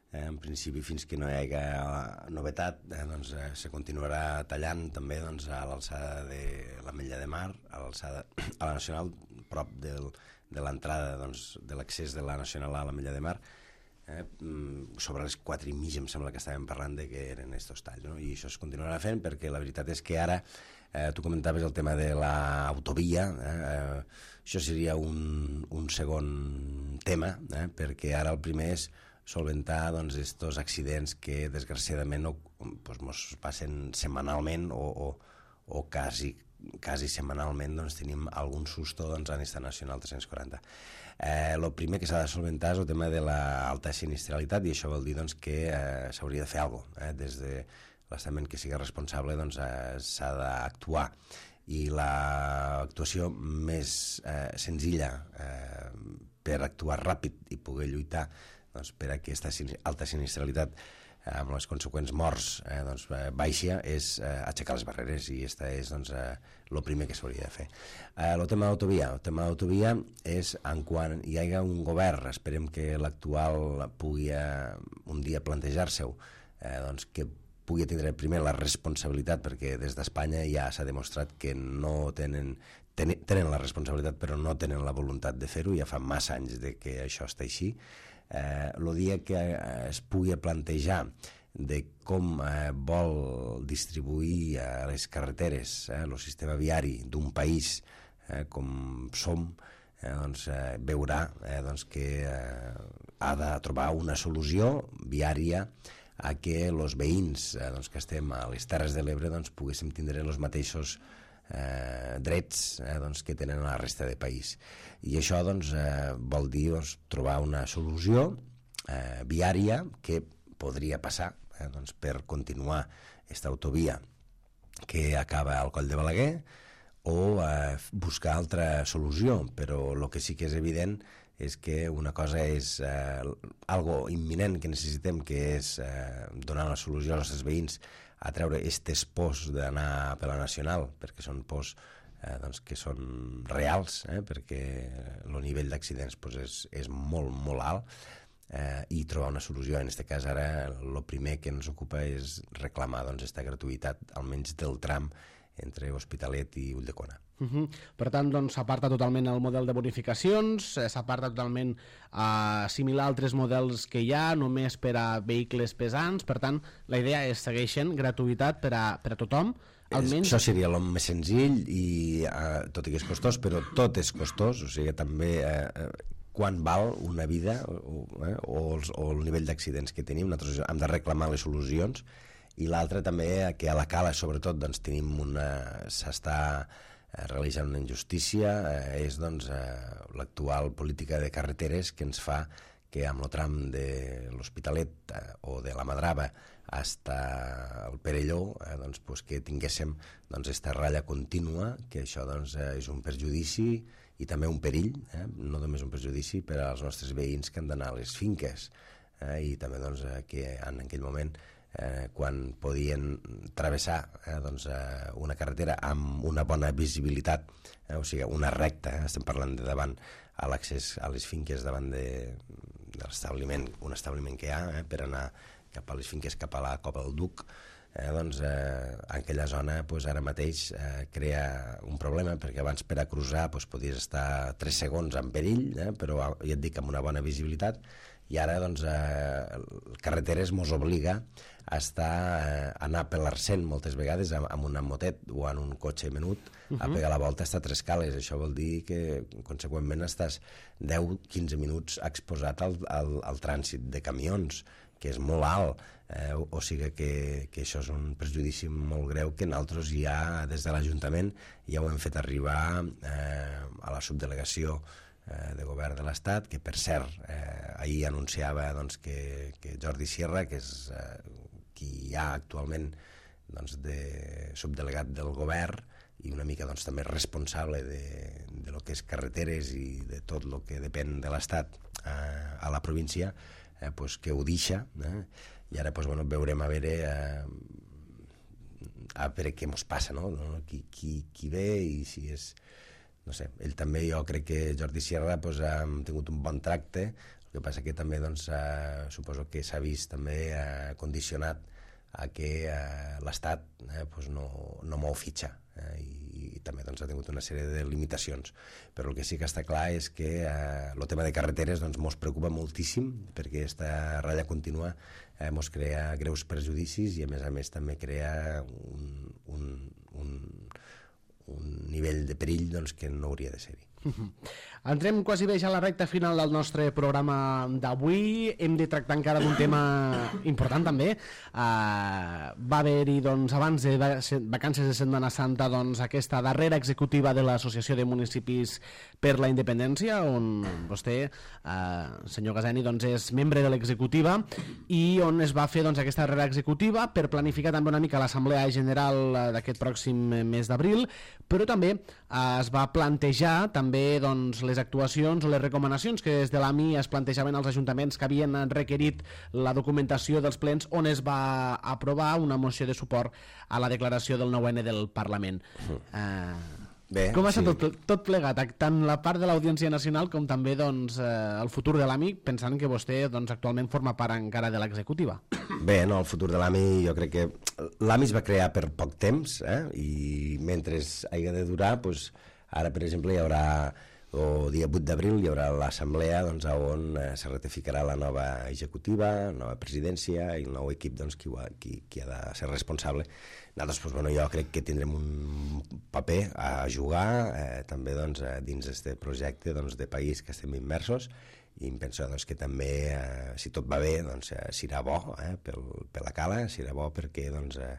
eh, en principi fins que no hi hagi novetat, eh, doncs, eh, se continuarà tallant també doncs, a l'alçada de l'Ametlla de Mar, a l'alçada a la Nacional, prop del, de l'entrada doncs, de l'accés de la Nacional a l'Ametlla de Mar, eh, sobre les quatre i mig em sembla que estàvem parlant de que eren estos talls, no? I això es continuarà fent perquè la veritat és que ara Eh, tu comentaves el tema de l'autovia, eh, eh, això seria un, un segon tema, eh, perquè ara el primer és solventar doncs, estos accidents que desgraciadament no, doncs, mos passen setmanalment o, o, o quasi, quasi setmanalment doncs, tenim algun susto doncs, en esta Nacional tres-cents quaranta. Eh, el primer que s'ha de solventar és el tema de l'alta sinistralitat i això vol dir doncs, que eh, s'hauria de fer alguna cosa, eh, des de l'estament que sigui responsable doncs, eh, s'ha d'actuar i l'actuació més eh, senzilla eh, per actuar ràpid i poder lluitar doncs, per a aquesta alta sinistralitat eh, amb les conseqüents morts eh, doncs, eh, baixa és eh, aixecar les barreres i aquesta és doncs, eh, el primer que s'hauria de fer. Eh, el tema d'autovia el tema d'autovia és en quan hi hagi un govern, esperem que l'actual pugui eh, un dia plantejar-se-ho, eh, doncs que pugui tindre primer la responsabilitat, perquè des d'Espanya ja s'ha demostrat que no tenen, ten, tenen la responsabilitat però no tenen la voluntat de fer-ho, ja fa massa anys de que això està així. Eh, el dia que es pugui plantejar de com eh, vol distribuir eh, les carreteres, eh, el sistema viari d'un país eh, com som, eh, doncs, eh, veurà eh, doncs que eh, ha de trobar una solució viària a que els veïns eh, doncs, que estem a les Terres de l'Ebre doncs, poguéssim tindre els mateixos eh, drets eh, doncs, que tenen a la resta del país. I això doncs, eh, vol dir doncs, trobar una solució eh, viària que podria passar eh, doncs, per continuar aquesta autovia que acaba al Coll de Balaguer o eh, buscar altra solució, però el que sí que és evident és que una cosa és eh, algo imminent que necessitem, que és eh, donar la solució als nostres veïns a treure aquestes pors d'anar per la Nacional, perquè són pors eh, doncs, que són reals, eh, perquè el nivell d'accidents doncs, és, és molt, molt alt, eh, i trobar una solució. En aquest cas, ara, el primer que ens ocupa és reclamar doncs, aquesta gratuïtat, almenys del tram entre Hospitalet i Ulldecona. Uh -huh. Per tant, doncs, s'aparta totalment el model de bonificacions, s'aparta totalment a assimilar altres models que hi ha, només per a vehicles pesants. Per tant, la idea és segueixen gratuïtat per a, per a tothom. Almenys... Això seria el més senzill, i eh, tot i que és costós, però tot és costós, o sigui, també eh, quan val una vida o, eh, o, els, o el nivell d'accidents que tenim. Nosaltres hem de reclamar les solucions, i l'altre també, que a la Cala sobretot doncs, tenim una... s'està realitzant una injustícia, eh, és doncs, eh, l'actual política de carreteres que ens fa que amb el tram de l'Hospitalet eh, o de la Madrava fins al Perelló eh, doncs, pues, que tinguéssim doncs, esta ratlla contínua, que això doncs, eh, és un perjudici i també un perill, eh, no només un perjudici per als nostres veïns que han d'anar a les finques, eh, i també doncs, eh, que en aquell moment Eh, quan podien travessar eh, doncs, eh, una carretera amb una bona visibilitat, eh, o sigui, una recta, eh, estem parlant de davant a l'accés a les finques davant de, de l'establiment, un establiment que hi ha eh, per anar cap a les finques, cap a la Cova del Duc, eh, doncs, eh, en aquella zona pues, ara mateix eh, crea un problema, perquè abans per a cruzar pues, podies estar tres segons en perill, eh, però ja et dic amb una bona visibilitat, i ara doncs, eh, carreteres mos obliga a estar, eh, a anar per l'arcent moltes vegades amb, amb una motet o en un cotxe menut, uh -huh. a pegar la volta hasta tres cales. Això vol dir que conseqüentment estàs deu a quinze minuts exposat al, al, al trànsit de camions, que és molt alt, eh, o, o sigui que, que això és un perjudici molt greu que nosaltres ja des de l'Ajuntament ja ho hem fet arribar eh, a la subdelegació eh, de govern de l'Estat, que per cert eh, ahir anunciava doncs, que, que Jordi Sierra, que és eh, qui hi ha actualment doncs, de subdelegat del govern i una mica doncs, també responsable de, de lo que és carreteres i de tot el que depèn de l'Estat eh, a la província, eh, pues, que ho deixa, eh? I ara pues, bueno, veurem a veure eh, a veure què ens passa, no? Qui, qui, qui ve i si és... No sé, ell també, jo crec que Jordi Sierra pues, ha tingut un bon tracte, el que passa que també doncs, eh, suposo que s'ha vist també eh, condicionat a que eh, l'Estat eh, pues no, no mou fitxa eh, i, i també doncs, ha tingut una sèrie de limitacions, però el que sí que està clar és que eh, el tema de carreteres doncs, mos preocupa moltíssim, perquè aquesta ratlla contínua eh, mos crea greus perjudicis i a més a més també crea un, un, un, un nivell de perill doncs, que no hauria de ser-hi. Uh-huh. Entrem quasi bé ja a la recta final del nostre programa d'avui. Hem de tractar encara d'un tema important també. Uh, va haver-hi doncs, abans de vacances de Setmana Santa doncs, aquesta darrera executiva de l'Associació de Municipis per la Independència, on vostè, uh, senyor Gazeni, doncs, és membre de l'executiva i on es va fer doncs, aquesta darrera executiva per planificar també una mica l'Assemblea General d'aquest pròxim mes d'abril, però també uh, es va plantejar també també doncs, les actuacions o les recomanacions que des de l'A M I es plantejaven als ajuntaments que havien requerit la documentació dels plens, on es va aprovar una moció de suport a la declaració del nou ene del Parlament. Uh, Bé, com ha estat sí. tot, tot plegat, tant la part de l'Audiència Nacional com també doncs, eh, el futur de l'A M I, pensant que vostè doncs, actualment forma part encara de l'executiva? Bé, no, el futur de l'A M I jo crec que l'A M I es va crear per poc temps eh? I mentre hagi de durar doncs, ara, per exemple, hi haurà, el dia vuit d'abril, hi haurà l'assemblea doncs, on eh, se ratificarà la nova executiva, nova presidència i el nou equip doncs, qui, qui, qui ha de ser responsable. Nosaltres, doncs, bueno, jo crec que tindrem un paper a jugar eh, també doncs, dins d'aquest projecte doncs, de país que estem immersos i em penso doncs, que també, eh, si tot va bé, doncs, eh, serà bo eh, pel, per la cala, serà bo perquè doncs, eh,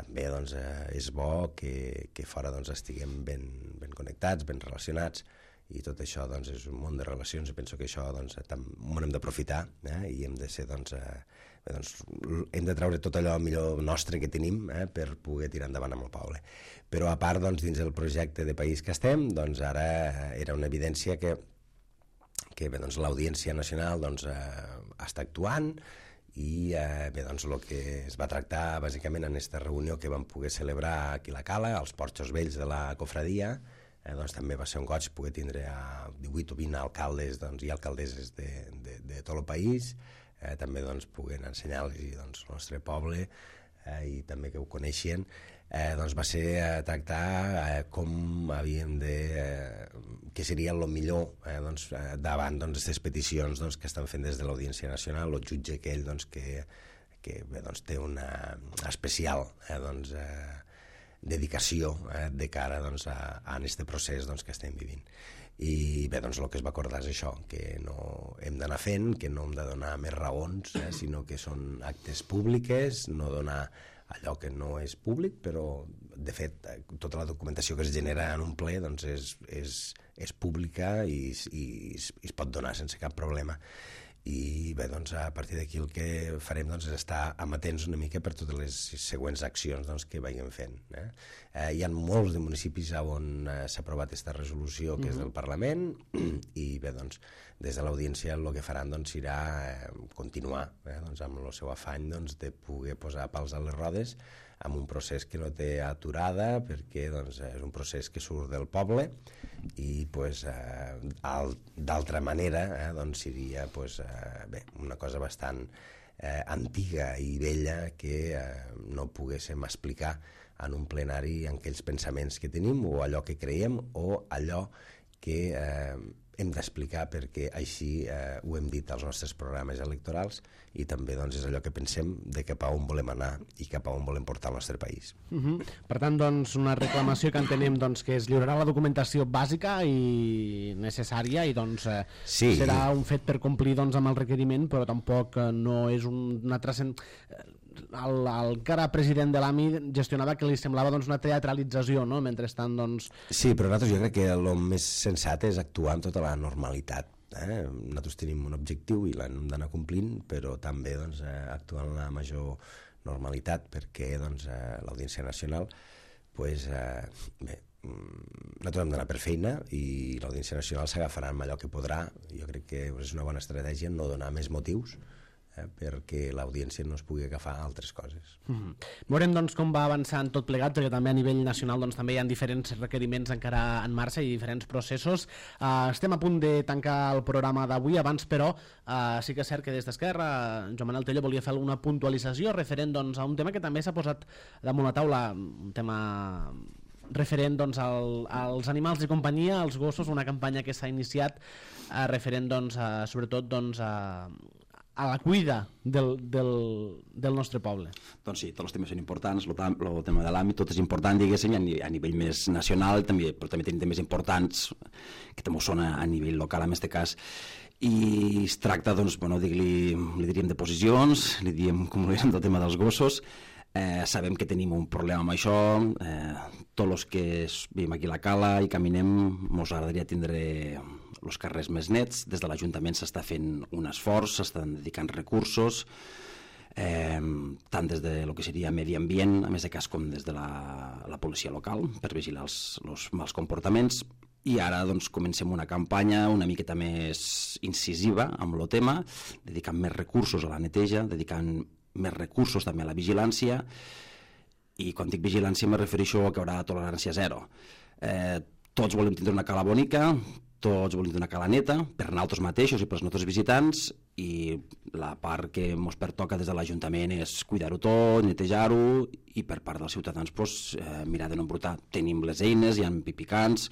també doncs, eh, és bo que, que fora doncs, estiguem ben, ben connectats, ben relacionats i tot això doncs, és un món de relacions i penso que això doncs, ho hem d'aprofitar eh, i hem de ser doncs, eh, bé, doncs, hem de treure tot allò millor nostre que tenim eh, per poder tirar endavant amb el poble. Però a part doncs, dins del projecte de país que estem doncs, ara era una evidència que, que bé, doncs, l'Audiència Nacional doncs, eh, està actuant i eh, bé, doncs, el que es va tractar bàsicament en aquesta reunió que vam poder celebrar aquí a la Cala, als Porxos Vells de la Cofradia, eh, doncs, també va ser un goig poder tindre a divuit o vint alcaldes doncs, i alcaldesses de, de, de tot el país, eh, també doncs, poder ensenyar-los doncs, el nostre poble eh, i també que ho coneixien. Eh, doncs va ser eh, tractar eh, com havíem de... Eh, que seria el millor eh, doncs, eh, davant d'aquestes doncs, peticions doncs, que estan fent des de l'Audiència Nacional, el jutge aquell doncs, que, que bé, doncs, té una especial eh, doncs, eh, dedicació eh, de cara doncs, a, a aquest procés doncs, que estem vivint. I bé, doncs el que es va acordar és això, que no hem d'anar fent, que no hem de donar més raons, eh, sinó que són actes públiques, no donar allò que no és públic, però de fet tota la documentació que es genera en un ple doncs, és, és, és pública i, i, i es pot donar sense cap problema. I bé, doncs, a partir d'aquí el que farem doncs, és estar amatents una mica per totes les següents accions doncs, que vagin fent. Eh? Eh, hi ha molts de municipis on eh, s'ha aprovat aquesta resolució que mm-hmm. és del Parlament i bé, doncs, des de l'Audiència el que faran doncs, serà eh, continuar eh, doncs, amb el seu afany doncs, de poder posar pals a les rodes amb un procés que no té aturada perquè doncs, és un procés que surt del poble i pues, eh, d'altra manera eh, doncs, seria pues, eh, bé, una cosa bastant eh, antiga i vella que eh, no poguéssim explicar en un plenari en aquells pensaments que tenim o allò que creiem o allò que eh, hem d'explicar perquè així eh, ho hem dit als nostres programes electorals i també doncs, és allò que pensem de cap a on volem anar i cap a on volem portar el nostre país. Uh-huh. Per tant, doncs, una reclamació que entenem doncs, que es lliurarà la documentació bàsica i necessària i doncs, eh, sí. serà un fet per complir doncs, amb el requeriment, però tampoc eh, no és un, una transcend... El, el encara president de l'A M I gestionava que li semblava doncs, una teatralització, no? Mentrestant, doncs... Sí, però nosaltres jo crec que el més sensat és actuar amb tota la normalitat. Eh? Nosaltres tenim un objectiu i l'hem d'anar complint, però també doncs, eh, actuar amb la major normalitat perquè doncs, eh, l'Audiència Nacional pues, eh, bé, nosaltres hem d'anar per feina i l'Audiència Nacional s'agafarà amb allò que podrà. Jo crec que és una bona estratègia no donar més motius eh, perquè l'audiència no es pugui agafar a altres coses. Mm-hmm. Veurem doncs, com va avançant tot plegat, perquè també a nivell nacional doncs, també hi ha diferents requeriments encara en marxa i diferents processos. Uh, estem a punt de tancar el programa d'avui, abans però uh, sí que és cert que des d'Esquerra Joan Manel Tello volia fer alguna puntualització referent doncs, a un tema que també s'ha posat damunt la taula, un tema referent doncs, al, als animals de companyia, als gossos, una campanya que s'ha iniciat eh, referent doncs, a, sobretot doncs, a, a la cuida del, del, del nostre poble. Doncs sí, tots els temes són importants, el tema de l'àmbit tot és important, diguéssim, a nivell més nacional, també, però també tenim temes importants que també són a, a nivell local, en aquest cas, i es tracta, doncs, bueno, dir-li, li diríem de posicions, li diríem, com ho diguem, del tema dels gossos. Eh, sabem que tenim un problema amb això, eh, tots els que vivim aquí a la cala i caminem ens agradaria tindre els carrers més nets. Des de l'Ajuntament s'està fent un esforç, s'estan dedicant recursos, eh, tant des de lo que seria medi ambient, a més de cas, com des de la, la policia local, per vigilar els, els mals comportaments. I ara doncs, comencem una campanya una miqueta més incisiva amb el tema, dedicant més recursos a la neteja, dedicant més recursos també a la vigilància, i quan dic vigilància me refereixo a que haurà tolerància zero. Eh, tots volem tindre una cala bonica, tots volem tindre una cala neta, per nosaltres mateixos i pels nostres visitants, i la part que ens pertoca des de l'Ajuntament és cuidar-ho tot, netejar-ho, i per part dels ciutadans pues, eh, mirar de no embrutar. Tenim les eines, hi ha pipicants,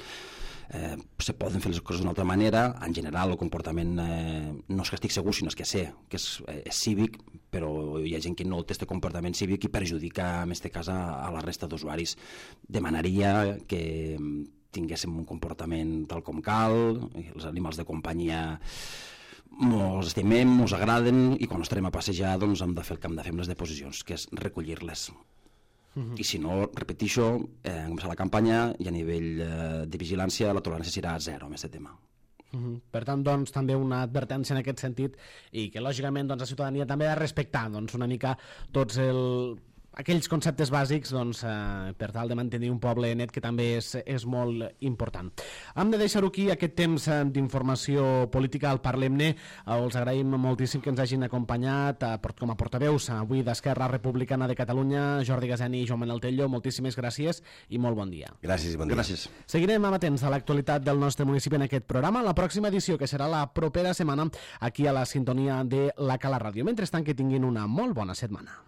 Eh, se poden fer les coses d'una altra manera. En general el comportament eh, no és que estic segur, sinó és que sé que és, eh, és cívic, però hi ha gent que no té aquest comportament cívic i perjudica en aquest cas a, a la resta d'usuaris. Demanaria que tinguéssim un comportament tal com cal, els animals de companyia ens estimem, ens agraden, i quan estarem a passejar doncs hem de fer el que hem de fer amb les deposicions, que és recollir-les. I si no, repetixo, eh, començar la campanya i a nivell eh, de vigilància la tolerància serà zero amb aquest tema. Uh-huh. Per tant, doncs, també una advertència en aquest sentit, i que lògicament doncs, la ciutadania també ha de respectar doncs, una mica tots el... aquells conceptes bàsics doncs, eh, per tal de mantenir un poble net, que també és, és molt important. Hem de deixar-ho aquí, aquest temps d'informació política al Parlem-ne. Eh, els agraïm moltíssim que ens hagin acompanyat eh, com a portaveus avui d'Esquerra Republicana de Catalunya, Jordi Gaseni i Joan Manel Tello. Moltíssimes gràcies i molt bon dia. Gràcies i bon dia. Gràcies. Seguirem amatents a l'actualitat del nostre municipi en aquest programa, la pròxima edició, que serà la propera setmana aquí a la sintonia de la Cala Ràdio. Mentrestant, que tinguin una molt bona setmana.